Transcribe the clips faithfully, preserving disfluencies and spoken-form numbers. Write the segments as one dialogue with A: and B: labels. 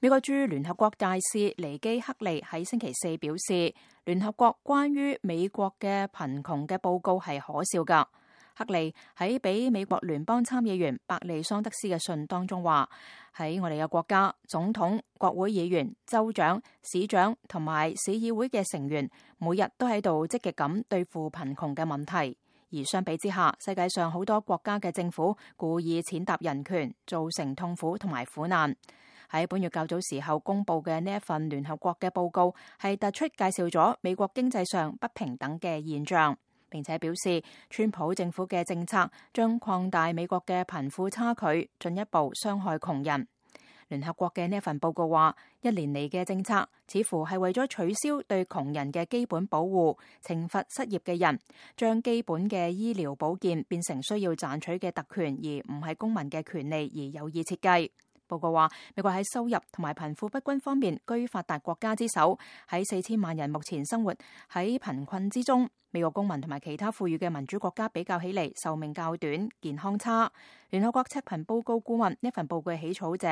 A: 美國駐聯合國大使尼基克利喺星期四表示，聯合國關於美國嘅貧窮嘅報告係可笑㗎。克利喺俾美國聯邦參議員伯利桑德斯嘅信當中話，喺我哋嘅國家，總統、國會議員、州長、市長同埋市議會嘅成員每日都喺度積極咁對付貧窮嘅問題，而相比之下，世界上好多國家嘅政府故意踐踏人權，造成痛苦同埋苦難。喺本月較早時候公布嘅呢一份聯合國嘅報告，係突出介紹咗美國經濟上不平等嘅現象，並且表示川普政府嘅政策將擴大美國嘅貧富差距，進一步傷害窮人。聯合國嘅呢一份報告話，一年嚟嘅政策似乎係為咗取消對窮人嘅基本保護，懲罰失業嘅人，將基本嘅醫療保健變成需要賺取嘅特權，而唔係公民嘅權利，而有意設計。報告話，美國喺收入同埋貧富不均方面居發達國家之首，喺四千萬人目前生活喺貧困之中。美國公民同埋其他富裕嘅民主國家比較起嚟，壽命較短，健康差。聯合國赤貧報告顧問呢份報告嘅起草者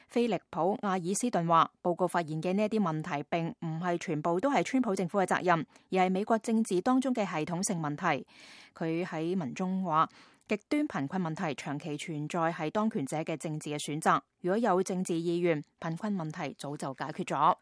A: 菲利普亞爾斯頓話，報告發現嘅呢一啲問題並唔係全部都係川普政府嘅責任，而係美國政治當中嘅系統性問題。佢喺文中話，極端貧困問題長期存在係當權者嘅政治嘅選擇，如果有政治意願，貧困問題早就解決咗。